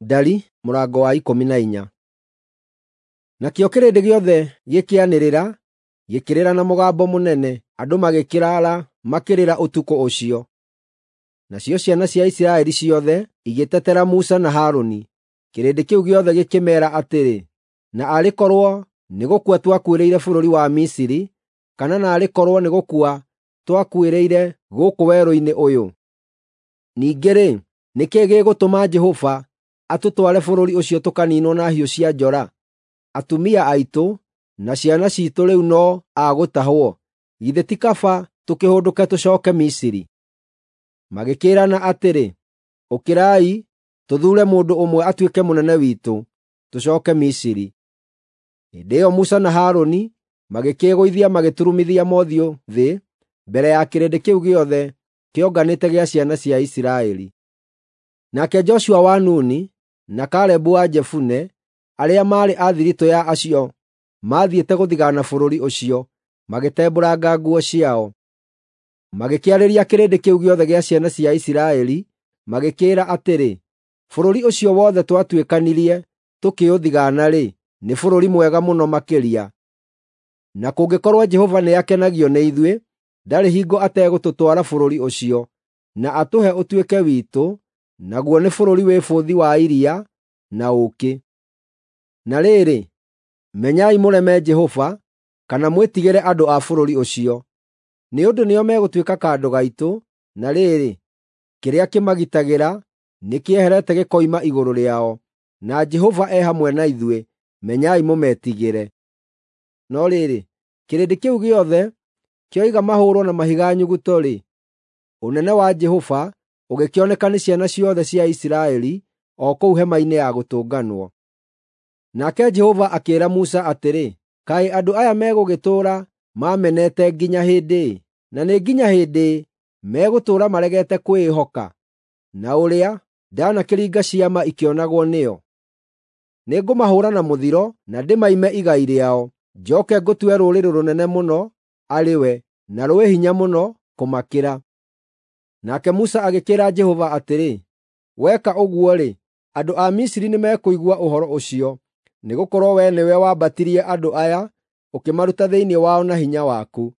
Ndari mũrango wa 14. Nakĩo kĩrĩndĩ gĩothe gĩkĩanĩrĩra, gĩkĩrĩra na mũgambo mũnene, andũ magĩkĩraara makĩrĩra ũtukũ ũcio. Nacio ciana cia Isiraeli ciothe igĩtetera Musa na Harũni. Kĩrĩndĩ kĩu gĩothe gĩkĩmeera atĩrĩ, “Na arĩ korwo nĩ gũkua twakuĩrĩire bũrũri wa Misiri, kana naarĩ korwo nĩ gũkua twakuĩrĩire gũkũ werũ-inĩ ũyũ! Ningĩ-rĩ, nĩ kĩĩ gĩgũtũma Jehova atũtware bũrũri ũcio tũkaniinwo na hiũ cia njora? Atumia aitũ na ciana ciitũ rĩu no a gũtahwo. Githĩ ti kaba tũkĩhũndũke tũcooke Misiri?” Magĩkĩĩrana atĩrĩ, “Ũkĩrai, tũthuure mũndũ ũmwe atuĩke mũnene witũ, tũcooke Misiri.” Hĩndĩ ĩyo Musa na Harũni magĩkĩĩgũithia magĩturumithia mothiũ thĩ mbere ya kĩrĩndĩ kĩu gĩothe kĩonganĩte gĩa ciana cia Isiraeli. Nake Joshua wa Nuni na Kalebu wa Jefune, arĩa maarĩ a thiritũ ya acio maathiĩte gũthigaana bũrũri ũcio, magĩtembũranga nguo ciao. Magĩkĩarĩria kĩrĩndĩ kĩu gĩothe gĩa ciana cia Isiraeli, magĩkĩĩra atĩrĩ, “Bũrũri ũcio wothe twatuĩkanirie tũkĩũthigaana-rĩ, nĩ bũrũri mwega mũno makĩria. Na kũngĩkorwo Jehova nĩakenagio nĩ ithuĩ, ndarĩ hingo ategũtũtwara bũrũri ũcio, na atũhe ũtuĩke witũ, naguo nĩ bũrũri wĩ bũthi wa iria na ũũkĩ. Na rĩrĩ, menyai mũreme Jehova, kana mwĩtigĩre andũ a bũrũri ũcio. Nĩ ũndũ nĩo megũtuĩka kandũ gaitũ, na rĩrĩ, kĩrĩa kĩmagitagĩra nĩkĩeherete gĩkoima igũrũ rĩao, na Jehova e hamwe na ithuĩ, menyai mũmetigĩre.” No rĩrĩ, kĩrĩndĩ kĩu gĩothe kĩoiga mahũũrwo na mahiga nyuguto-rĩ, ũnene wa Jehova ũgĩkĩoneka nĩ ciana ciothe cia Isiraeli o kũu hema-inĩ ya gũtũnganwo. Nake Jehova akĩĩra Musa atĩrĩ, “Kaĩ andũ aya megũgĩtũũra maamenete nginya hĩndĩ ĩ? Na nĩ nginya hĩndĩ ĩ megũtũũra maregete kwĩĩhoka, na ũrĩa ndanakĩringa ciama ikĩonagwo nĩo? Nĩngũmahũũra na mũthiro na ndĩmaime igai rĩao, njooke ngũtue rũrĩrĩ rũnene mũno arĩ we, na rwĩ hinya mũno kũmakĩra.” Nake Musa agĩkĩĩra Jehova atĩrĩ, “Weka ũguo-rĩ, andũ a Misiri nĩmekũigua ũhoro ũcio, nĩgũkorwo wee nĩwe wambatirie andũ aya ũkĩmaruta thĩinĩ wao na hinya waku.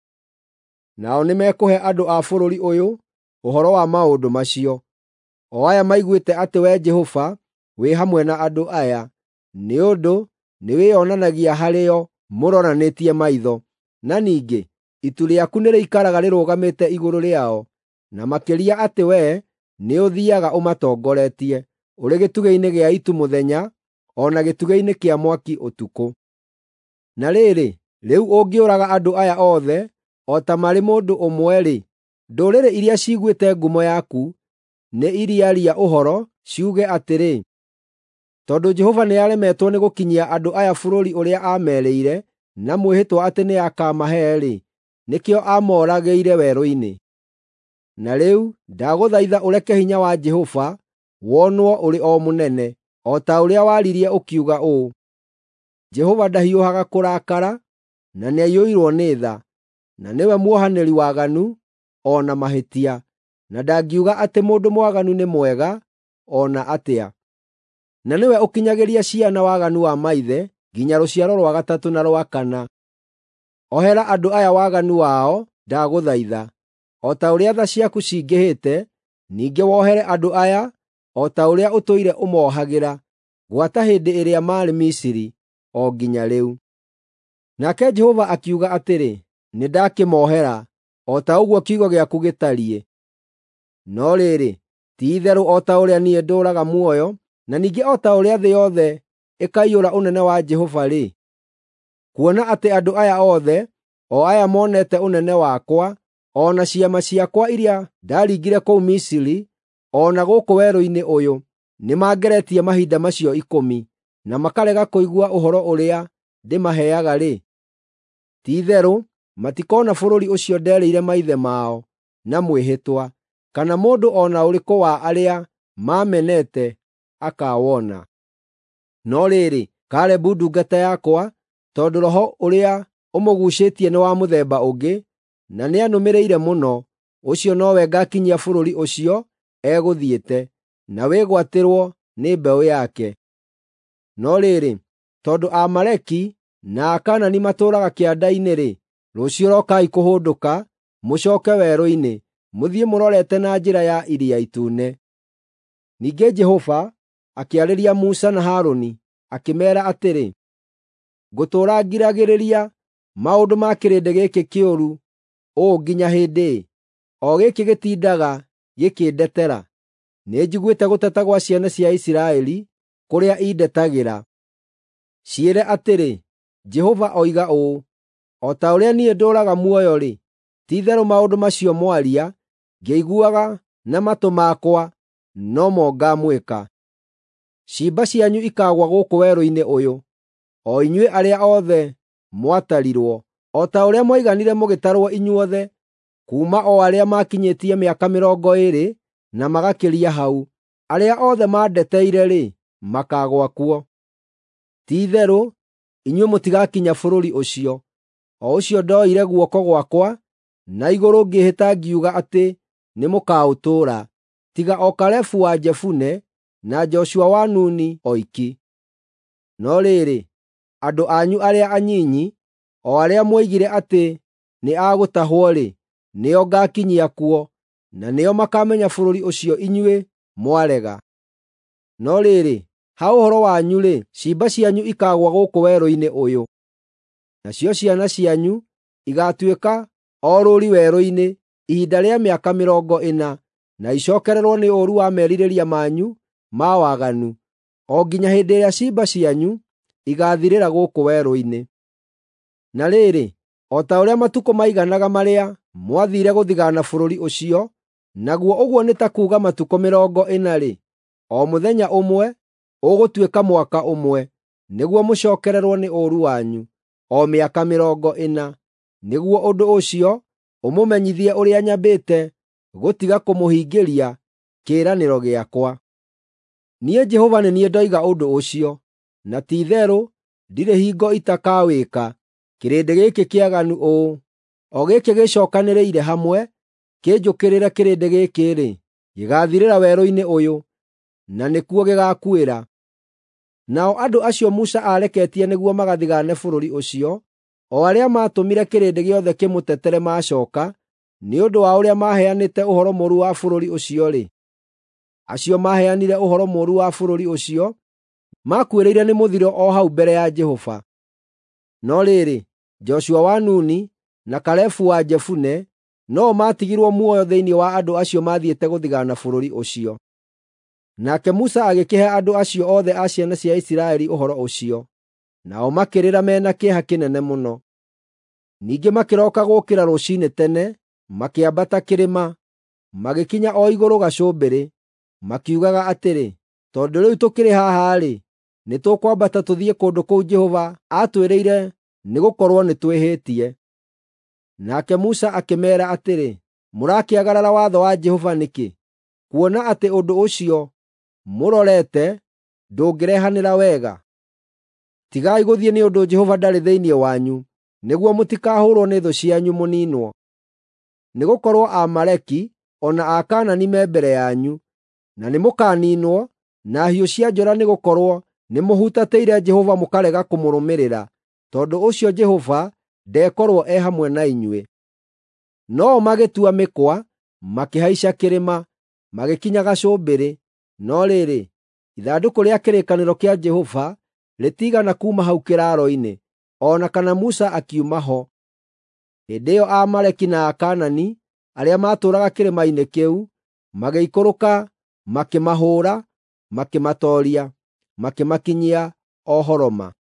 Nao nĩmekũhe andũ a bũrũri ũyũ ũhoro wa maũndũ macio, o aya maiguĩte atĩ Wee Jehova wĩ hamwe na andũ aya, nĩ ũndũ nĩwĩonanagia harĩo mũroranĩtie maitho. Na ningĩ itu rĩaku nĩrĩikaraga rĩrũgamĩte igũrũ rĩao, na makĩria atĩ wee nĩũthiiaga ũmatongoretie, ũrĩ gĩtugĩ-inĩ gĩa itu mũthenya, o na gĩtugĩ-inĩ kĩa mwaki ũtukũ. Na rĩrĩ, rĩu ũngĩũraga andũ aya othe o ta marĩ mũndũ ũmwe-rĩ, ndũrĩrĩ iria ciiguĩte ngumo yaku nĩ iriaria ũhoro ciuge atĩrĩ, ‘Tondũ Jehova nĩaremetwo nĩgũkinyia andũ aya bũrũri ũrĩa aamerĩire na mwĩhĩtwa atĩ nĩakamahe-rĩ, nĩkĩo amooragĩire werũ-inĩ.’ Na rĩu ndagũthaitha ũreke hinya wa Jehova wonwo ũrĩ o mũnene, o ta ũrĩa waririe ũkiuga ũũ, ‘Jehova ndahiũhaga kũrakara, na nĩaiyũirwo nĩ tha, na nĩwe muohanĩri waganu o na mahĩtia, na ndangiuga atĩ mũndũ mwaganu nĩ mwega o na atĩa. Na nĩwe ũkinyagĩria ciana waganu wa maithe nginya rũciaro rwa gatatũ na rwa kana.’ Ohera andũ aya waganu wao, ndagũthaitha, o ta ũrĩa tha ciaku cingĩhĩte, ningĩ wohere andũ aya o ta ũrĩa ũtũire ũmoohagĩra, gwata hĩndĩ ĩrĩa maarĩ Misiri o nginya rĩu.” Nake Jehova akiuga atĩrĩ, “Nĩndakĩmoohera, o ta ũguo kiugo gĩaku gĩtariĩ.” No rĩrĩ, ti-itherũ o ta ũrĩa niĩ ndũũraga muoyo, na ningĩ o ta ũrĩa thĩ yothe ĩkaiyũra ũnene wa Jehova-rĩ, kuona atĩ andũ aya othe, o aya monete ũnene wakwa, o na ciama ciakwa iria ndaringire kũu Misiri, o na gũkũ werũ-inĩ ũyũ, nĩmangeretie mahinda macio ikũmi, na makarega kũigua ũhoro ũrĩa ndĩmaheaga-rĩ, ti-itherũ matikoona bũrũri ũcio nderĩire maithe mao na mwĩhĩtwa, kana mũndũ o na ũrĩkũ wa arĩa maamenete akaawona. No rĩrĩ, Kalebu ndungata yakwa, tondũ roho ũrĩa ũmũguucĩtie nĩ wa mũthemba ũngĩ, na nĩanũmĩrĩire mũno, ũcio nowe ngaakinyia bũrũri ũcio egũthiĩte, na wĩgwatĩrwo nĩ mbeũ yake. No rĩrĩ, tondũ Aamaleki na Akaanani matũũraga kĩanda-inĩ-rĩ, rũciũ rokai kũhũndũka, mũcooke werũ-inĩ, mũthiĩ mũrorete na njĩra ya Iria Itune." Ningĩ Jehova akĩarĩria Musa na Harũni, akĩmeera atĩrĩ, “Ngũtũũra ngiragĩrĩria maũndũ ma kĩrĩndĩ gĩkĩ kĩũru ũũ nginya hĩndĩ ĩ, o gĩkĩ gĩtindaga gĩkĩndetera? Nĩnjiguĩte gũteta gwa ciana cia Isiraeli kũrĩa indetagĩra. Ciĩre atĩrĩ, ‘Jehova oiga ũũ: O ta ũrĩa niĩ ndũũraga muoyo-rĩ, ti-itherũ maũndũ macio mwaria, ngĩiguaga na matũ makwa, no mo ngaamwĩka. Ciimba cianyu ikaagũa gũkũ werũ-inĩ ũyũ, o inyuĩ arĩa othe mwatarirwo, o ta ũrĩa mwaiganire mũgĩtarwo inyuothe, kuuma o arĩa maakinyĩtie mĩaka 20 na magakĩria hau, arĩa othe mandeteire-rĩ, makaagũa kuo. Ti-itherũ inyuĩ mũtigakinya bũrũri ũcio, o ũcio ndoire guoko gwakwa na igũrũ ngĩĩhĩta ngiuga atĩ nĩmũkaũtũũra, tiga o Kalebu wa Jefune na Joshua wa Nuni oiki. No rĩrĩ, andũ anyu arĩa anyinyi, o arĩa mwoigire atĩ nĩ a gũtahwo-rĩ, nĩo ngaakinyia kuo, na nĩo makaamenya bũrũri ũcio inyuĩ mwarega. No rĩrĩ, ha ũhoro wanyu-rĩ, ciimba cianyu ikaagũa gũkũ werũ-inĩ ũyũ. Nacio ciana cianyu igaatuĩka orũũri werũ-inĩ ihinda rĩa mĩaka 40, na icookererwo nĩ ũũru wa merirĩria manyu ma waganu, o nginya hĩndĩ ĩrĩa ciimba cianyu igaathirĩra gũkũ werũ-inĩ. Na rĩrĩ, o ta ũrĩa matukũ maiganaga marĩa mwathiire gũthigaana bũrũri ũcio, naguo ũguo nĩ ta kuuga matukũ 40-rĩ, o mũthenya ũmwe ũgũtuĩka mwaka ũmwe, nĩguo mũcookererwo nĩ ũũru wanyu, o mĩaka 40, nĩguo ũndũ ũcio ũmũmenyithie ũrĩa nyambĩte gũtiga kũmũhingĩria kĩĩranĩro gĩakwa. Niĩ Jehova nĩ niĩ ndoiga ũndũ ũcio, na ti-itherũ ndirĩ hingo itakawĩka. Kĩrĩndĩ gĩkĩ kĩaganu ũũ, o gĩkĩ gĩcookanĩrĩire hamwe kĩnjũkĩrĩre kĩrĩndĩ gĩkĩ-rĩ, gĩgaathirĩra werũ-inĩ ũyũ, na nĩkuo gĩgaakuĩra." Nao andũ acio Musa aareketie nĩguo magathigaane bũrũri ũcio, o arĩa maatũmire kĩrĩndĩ gĩothe kĩmũtetere maacooka, nĩ ũndũ wa ũrĩa maaheanĩte ũhoro mũũru wa bũrũri ũcio-rĩ, acio maaheanire ũhoro mũũru wa bũrũri ũcio makuĩrĩire nĩ mũthiro o hau mbere ya Jehova. No rĩrĩ, Joshua wa Nuni na Kalebu wa Jefune no-o maatigirwo muoyo thĩinĩ wa andũ acio maathiĩte gũthigaana bũrũri ũcio. Nake Musa agĩkĩhe andũ acio othe a ciana cia Isiraeli ũhoro ũcio, nao makĩrĩra me na kĩeha kĩnene mũno. Ningĩ makĩroka gũũkĩra rũciinĩ tene, makĩambata kĩrĩma, magĩkinya o igũrũ gacũmbĩrĩ, makiugaga atĩrĩ, “Tondũ rĩu tũkĩrĩ haha-rĩ, nĩtũkwambata tũthiĩ kũndũ kũu Jehova aatwĩrĩire nĩgũkorwo nĩtwĩhĩtie.” Nake Musa akĩmeera atĩrĩ, “Mũrakĩagarara watho wa Jehova nĩkĩ? Kuona atĩ ũndũ ũcio mũrorete ndũngĩrehanĩra wega. Tigai gũthiĩ nĩ ũndũ Jehova ndarĩ thĩinĩ wanyu, nĩguo mũtikahũũrwo nĩ thũ cianyu mũniinwo. Nĩgũkorwo Aamaleki o na Akaanani me mbere yanyu, na nĩmũkaniinwo na hiũ cia njora nĩgũkorwo nĩmũhutatĩire Jehova mũkarega kũmũrũmĩrĩra, tondũ ũcio Jehova ndekorwo e hamwe na inyuĩ." No-o magĩtua mĩkwa, makĩhaica kĩrĩma, magĩkinya gacũmbĩrĩ, no rĩrĩ, ithandũkũ rĩa kĩrĩkanĩro kĩa Jehova rĩtiigana kuuma hau kĩraaro-inĩ, o na kana Musa akiuma ho. Hĩndĩ ĩyo Aamaleki na Akaanani arĩa maatũũraga kĩrĩma-inĩ kĩu magĩikũrũka makĩmahũũra, makĩmatooria, makĩmakinyia o Horoma.